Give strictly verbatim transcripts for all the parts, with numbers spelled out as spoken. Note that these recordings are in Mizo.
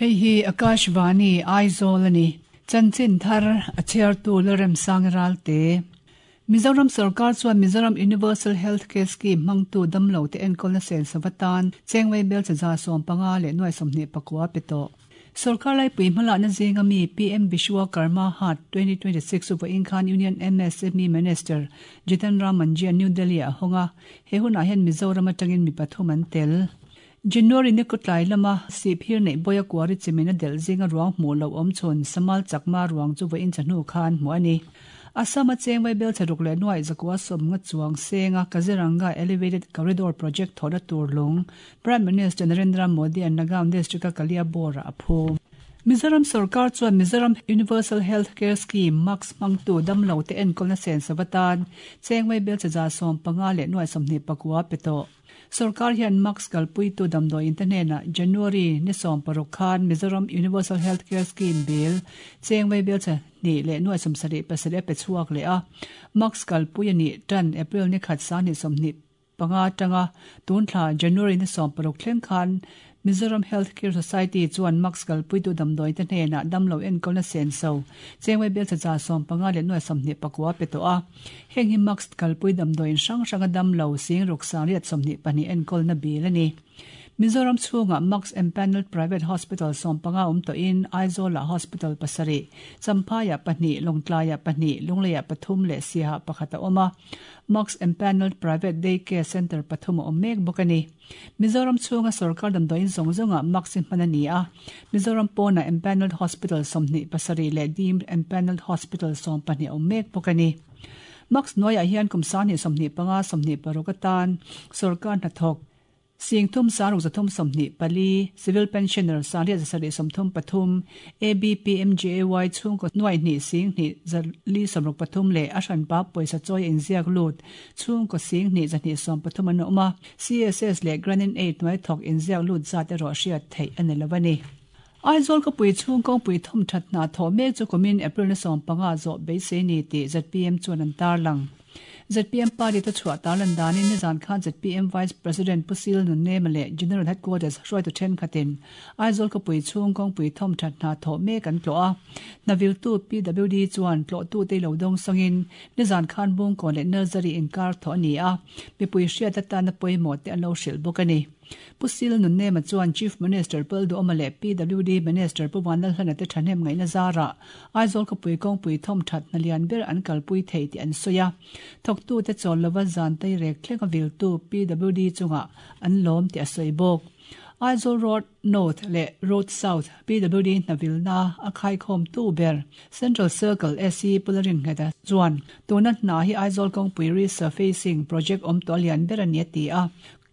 Hei hi Akashvani Aizawl ani. Chanchin thar a chhiartu Lalremsang Ralte. Mizoram sarkar chuan Mizoram Universal Health Care Scheme hmangtu damlo te enkawlna sen savatan chengwei bel chaza sawm panga leh nuai sawmhnih pakua pe tawh. Sarkar laipui hmalakna zinga mi P M Vishwakarma Haat twenty twenty-six chu vawiin khan Union M S M E Minister Jitan Ram Manjhi New Delhi a hawnga he hunah hian Mizoram atangin mi pathum an tel. January ni kutlai lama sip hir nei boya kuari chimina del zinga ruang hmu lo awm chhun Samal Chakma ruang chu vawiin chahnu khan hmu ani. Assam a chengwei bel charuk leh nuai zakua sawm nga chuang senga Kaziranga Elevated Corridor Project thawhna tur lung Prime Minister Narendra Modi an Nagaon District a Kaliabor a phu. Mizoram sarkar chuan Mizoram Universal Health Care Scheme Max hmangtu damlo te enkawlna sen savatan chengwei bel chaza sawm panga leh nuai sawmhnih pakua pe tawh. Sarkar hian Max kalpuitu damdawi te hnenah January ni sawm paruk khan Mizoram Universal Health Care Scheme bill chengwei bel cha ni leh nuai sawm sarih pasarih a pe chhuak leh a. Max kalpui ani tan April ni khat sang ni sawmhnih panga tanga tun thla January ni sawm paruk thleng khan Mizoram Health Care Society chuan Max kalpuitu damdawi te hnenah damlo enkawlna sen so chengwei bel chaza sawm panga leh nuai sawmhnih pakua pe tawh a. Heng hi Max kalpui damdawiin hrang hranga damlo sing ruk sang riat sawmhnih pahnih enkawlna bil ani. Mizoram chhunga Max Empanelled Private Hospital sawm panga awm tawhin Aizawl Hospital pasarih, Champhaiah pahnih, Lawngtlaiah pahnih, Lungleiah pathum leh Siaha pakhat a awm a. Max Empanelled Private Day Care Centre pathum a awm mek bawk ani. Mizoram chhunga sarkar damdawiin zawng zawnga Max hi hman ani a. Mizoram pawna Empanelled Hospital sawmhnih pasarih leh Deemed Empanelled Hospital sawm pahnih a awm mek bawk ani. Max hnuaiah hian kum sangni sawmhnih panga sawmhnih paruk atan sarkar hnathawk Sing thum saruk zathum sawmhnih pali, civil pensioner sangriat zasarih sawmthum pathum, A B P M J A Y chhungkaw nuai hnih sing hnih zali sawmruk pathum leh a hranpa pawisa chawi inziak lut chhungkaw sing hnih zahnih sawm pathum an awm a. C S S leh Grant in Aid hnuai thawk inziak lut zat erawh hriat theih ani lo ani. Aizawl khawpui chhung kawngpui thawm that hna thawh mek chu kumin April ni sawm panga zawh beisei ni tih Z P M chuan an tarlang. Z P M party te chhuah tarlan danin nizan khan Z P M Vice President Pusil Nunnem leh General Headquarters hruaitu thenkhatin Aizawl khawpui chhung kawngpui thawm that hna thawh mek an tlawh a. Hnaviltu P W D chuan tlawhtu te lo dawng sangin nizan khan Bungkawn leh Nursery inkar thawh ani a. Mipui hriat atana pawimawh te an lo hrilh bawk ani. Pusil Nunnem chuan Chief Minister Palduoma leh P W D Minister Puvan Lalhlana te thahnem ngaihna zara Aizawl khawpui kawngpui thawm that hna lian ber an kalpui thei tih an sawi a. Thawktu te chawl lova zan tei rek thleng a viltu P W D chunga an lawm tih a sawi bawk. Aizawl Road North leh Road South P W D hnavilna a khaikhawm tu ber Central Circle S E Pularin ngheta chuan tuna hna hi Aizawl kawngpui resurfacing project awm tawh lian ber ani a ti a.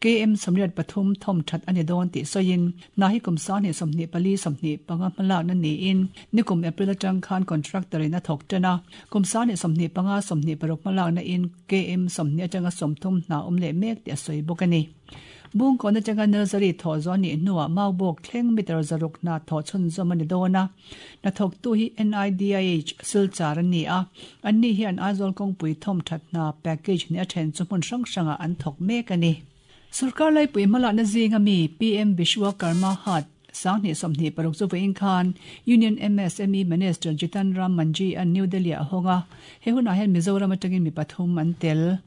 K M Samriat pathum thawm that ani dawn tih sawiin hna hi kum sangni sawmhnih pali sawmhnih panga hmalakna niin nikum April atang khan contractor in a thawk tan a. Kum sangni sawmhnih panga sawmhnih paruk hmalakna in K M sawmhnih atanga sawmthum hna awm leh mek tih a sawi bawk ani. Bungkawn atanga nursery thawh zawh ni hnuah Maubawk thleng meter zaruk hna thawh chhunzawm ani dawn a. Hna thawktu hi N I D I H Silchar ani a. Anni hian Aizawl kawngpui thawm that hna package ni a then chu hmun hrang hranga an thawk mek ani. Sarkar laipui hmalakna zinga mi P M Vishwakarma Haat sangni sawmhnih paruk chu vawiin khan Union M S M E Minister Jitan Ram Manjhi an New Delhi a hawnga. He hunah hian Mizoram atangin mi pathum an tel.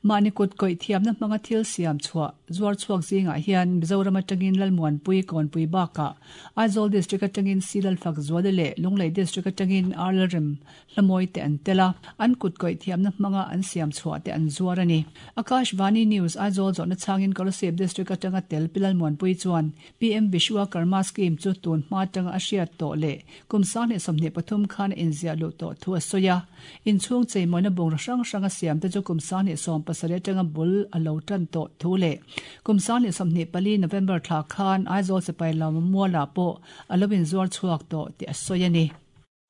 Mahni kut kawih thiamna hmanga thil siam chhuah zuar chhuak zingah hian Mizoram atangin Lalmuanpui Kawnpui bakah Aizawl District atangin Silal Fak Zuale leh Lunglei District atangin Arlalrem Hlamawi te an tel a. An kut kawih thiamna hmanga an siam chhuah te an zuar ani. Akashvani News Aizawl zawhna changin Kolasib District atanga tel pi Lalmuanpui chuan P M Vishwakarma Scheme chu tun hma atanga a hriat tawh leh kum sangni sawmhnih pathum khan a inziah luh tawh thu a sawi a. Inchhung cheimawina bungraw hrang hranga siam te chu kum sangni sawm pasarih atanga bul a lo tan tawh thu leh kum sangni sawmhnih pali November thla khan Aizawl sipai lawm mualah pawh a lo inzuar chhuak tawh tih a sawi ani.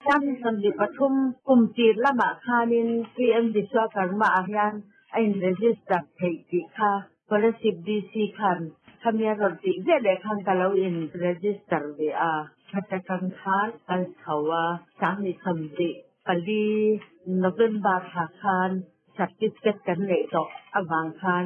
Sangni sawmhnih pathum kum tir lamah khanin P M Vishwakarma ah hian a in register theih tih kha Kolasib D C khan khamia rawn tih ve leh khan ka lo in register ve a. Khatakang khan kal chho a sangni sawmhnih pali November thla khan certificate kan nei tawh awang khan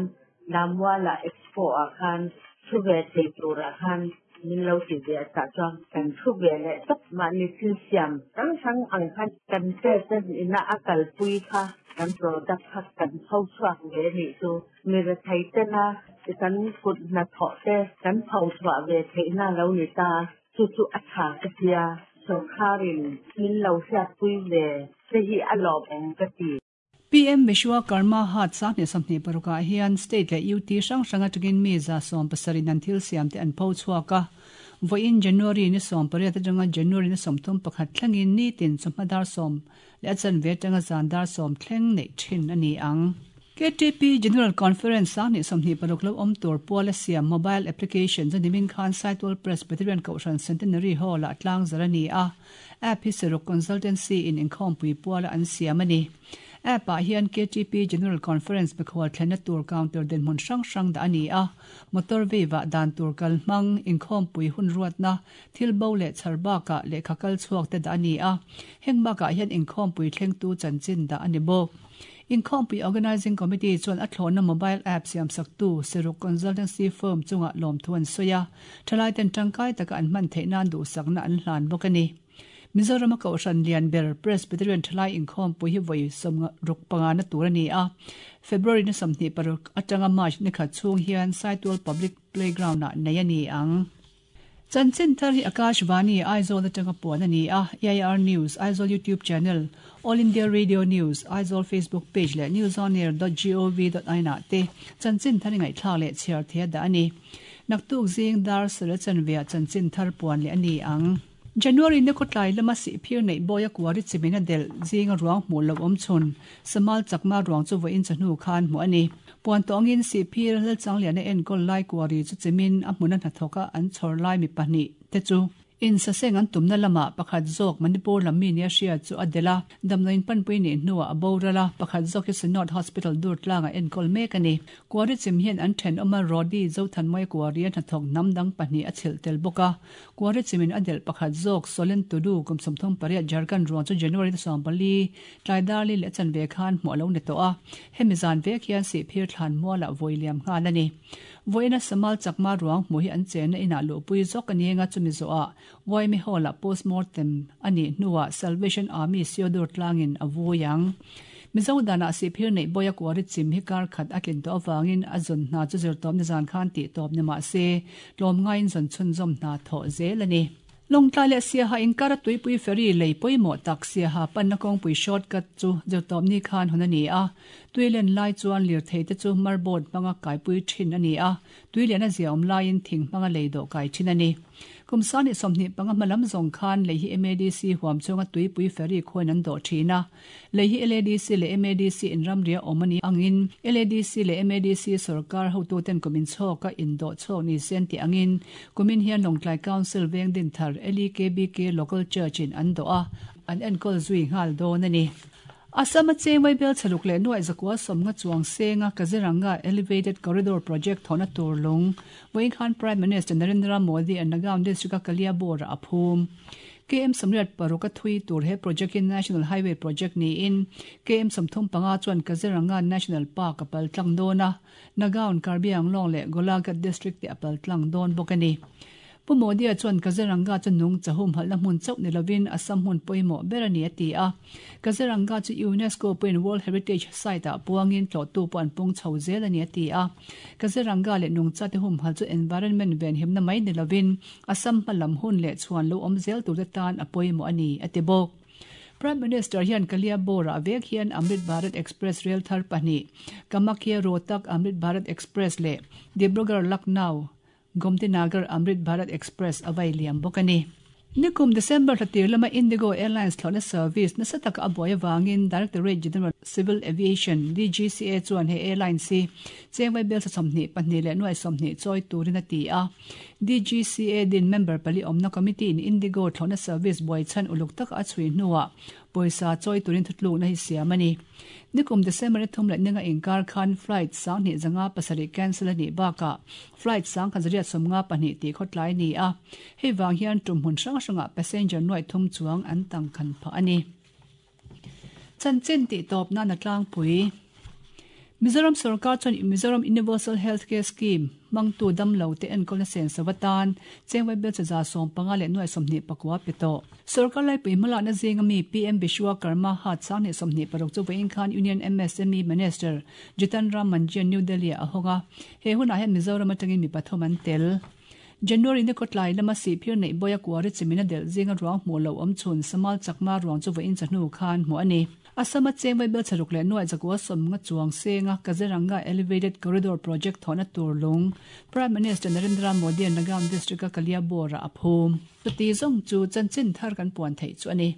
Lamwala Expo ah khan thu ve thei turah khan Min lo ti ve tah chuan kan thu ve leh tawp mahni thil siam hrang hrang ang khan kan president ina a kalpui kha kan product kha kan pho chhuak ve anih chu mi rethei tena kan kut hnathawh te kan pho chhuah ve theihna lo ni ta chu chu a tha ka tia sawrkharin min lo hriatpui ve te hi a lawmawm ka ti. P M Vishwakarma Haat Sanghnih Sawmhnih parukah hian state leh U T hrang hrang atangin mi za sawm pasarih an thil siam te an pho chhuak a. Vawiin January ni sawm pariat atanga January ni sawmthum pakhat thlengin ni tin chawhma dar sawm leh a chanve atanga zan dar sawm thleng neih thin a ni ang. K T P General Conference Sanghnih Sawmhnih paruk lo awm tur puala siam mobile application chu nimin khan Saitual Presbyterian Kohhran Centenary Hall ah tlang zar a ni a. App hi Seruk Consultancy in inkhawmpui puala an siam a ni. App ah hian K T P General Conference mikhual thlenna tur counter dinhmun hrang hrang dah a ni a. Motor veiva dan tur kal hmang inkhawmpui hun ruatna thil bo leh chhar bakah lehkha kal chhuak te dah a ni a. Heng bakah hian inkhawmpui thlengtu chanchin dah a ni bawk. Inkhawmpui Organizing Committee chuan a thlawhna mobile app siam saktu Seruk Consultancy Firm chungah lawmthu an sawi a. Thalai ten tangkai taka an hman theih nan duhsakna an hlan bawk a ni. Mizoram a Kohhran Lian ber Presbyterian Thalai inkhawmpui hi vawi sawm ruk panga na tur a ni a. February ni sawmhnih paruk atanga March ni khat chhung hian Saitual Public Playground ah nei a ni ang. Chanchin thar hi Akashvani Aizawl atanga puan a ni a. A I R News, Aizawl YouTube channel, All India Radio News, Aizawl Facebook page leh newsonair dot gov dot in ah te chanchin thar ngaihthlak leh chhiar thei dah a ni. Naktuk zing dar sara chanve ah chanchin thar puan leh a ni ang. January ni khawtlai lama sihphir neih bawi a kuari chimin a del zinga ruang hmuh lo awm chhun Samal Chakma ruang chu vawiin chawhnu khan hmuh a ni. Puan tawngin sihphir Lalchangliana enkawl lai kuari chu chimin a hmun a hnathawk a an chhawr lai mi pahnih te chu in saseng an tumna lama pakhat zawk Manipur lam mi nia hria chu a del a. Damloin panpui ni hnuah a boral a pakhat zawk hi Synod Hospital dur tlanga enkawl mek a ni. Kuari chim hian an then awm a Rodi Zothanmawia kuari a hnathawk hnam dang pahnih a chhilh tel bawk a. Kuari chimin a del pakhat zawk Solen Tudu kum sawmthum pariat Jharkhand ruang chu January ni sawm pali tlai darli leh chanve khan hmuh a lo ni tawh a. Hemi zan vek hian sihphir thlan mualah vawi liam nghal a ni. Vawiina Samal Chakma ruang hmuh hi an chenna inah luhpui zawk a ni anga chumi zawhah Waimi Hall ah postmortem a nih hnuah Salvation Army Siodur tlangin a vui ang. Mizo danah sihphir neih bawi a kuari chim hi kar khat a tlin tawh avangin a zawn hna chu zir tawp ni zan khan tih tawp ni mah se tlawm ngaiin zawn chhunzawm hna thawh zel a ni. Lawngtlai leh Siaha inkar a tuipui ferry lei pawimawh tak Siaha panna kawngpui shortcut chu zir tawp ni khan hawn a ni a. Tuilen lai chuan lirthei te chu marboard hmanga kaipui thin a ni a. Tuilen a zia awm laiin thing hmanga lei dawh kai thin a ni. Kumsani sawmhnih panga hmalam zawng khan lei hi M A D C huam chunga tuipui ferry khawiin an dawh thin a. Lei hi L A D C leh M A D C in ramria awm a ni angin L A D C leh M A D C sarkar hotu ten kumin chhawk a indawh chhawk ni sen tih angin kumin hian Lawngtlai Council veng din thar L E K B K Local Church in an dawh a an enkawl zui nghal dawn a ni. Assam a chengwai bel chaluk leh nuai zakua sawmnga chuang senga Kaziranga Elevated Corridor Project thawhna tur lung vawiin khan Prime Minister Narendra Modi an Nagaon District a Kaliabor a phum. K M Samriat paruk a thui tur he project in National Highway Project niin K M sawmthum panga chuan Kaziranga National Park a pal tlang dawn a. Nagaon Karbi Anglong leh Golaghat District te a pal tlang dawn bawk a ni. Pu Modi a chuan Kaziranga chu nung chahum halna hmun chauh ni lovin Assam hmun pawimawh ber a ni a ti a. Kaziranga chu UNESCO pawhin World Heritage Site ah puangin tlawhtu pawh an pung chho zel a ni a ti a. Kaziranga leh nungcha te hum hal chu environment ven himna mai ni lovin Assam hmalam hun leh chhuan lo awm zel tur te tan a pawimawh a ni a ti bawk. Prime Minister hian Kaliabor ah vek hian Amrit Bharat Express rail thar pahnih Kamakhya Rohtak Amrit Bharat Express leh Dibrugarh Lucknow Gomtinagar Amrit Bharat Express awai liam bawk a ni. Nikum December thla lama Indigo Airlines thlawhna service nasa taka a buai awangin Directorate General Civil Aviation D G C A chuan he airlines hi chengwai bel sa sawmhnih pahnih leh nuai sawmhnih chawi turin a ti a. D G C A din member pali awmna committee in Indigo thlawhna service buai chhan uluk taka a chhui hnuah pawisa chawi turin thutlukna hi siam a ni. Nikum December ni thum leh ninga inkar khan flight sanghnih zanga pasarih cancel a nih bakah flight sang khan zariat sawmnga pahnih tih khawtlai ni a. Hei wang hian tum hmun hrang hranga passenger nuai thum chuang an tang khan phah a ni. Chanchin tih tawp nan a tlangpui. Mizoram Sorkar chuan Mizoram Universal Healthcare Scheme hmangtu damlo te enkawlna senso atan cheng vaibelchhe za sawm panga leh nuai sawmhnih pakua pe tawh. Sorkar laipui hmalakna zinga mi PM Vishwakarma hat sanghnih sawmhnih paruk chu vawiin khan Union MSME Minister Jitan Ram Manjhi New Delhi ah a hawng a. He hunah hian Mizoram atangin mi pathum an tel. January ni kawtlai lama sihphir neih bawia kuari chimina delh zinga ruang hmuh loh awm chhun Samal Chakma ruang chu vawiin chahnu khan hmuh a ni. Assam-a cheng vaibelchhe ruk leh nuai zakua sawmnga chuang senga Kaziranga Elevated Corridor Project thawhna tur lung Prime Minister Narendra Modi-a'n Nagaon District-a Kaliabor-ah a phum. Chuti zawng chu chanchin thar kan puan theih chu a ni.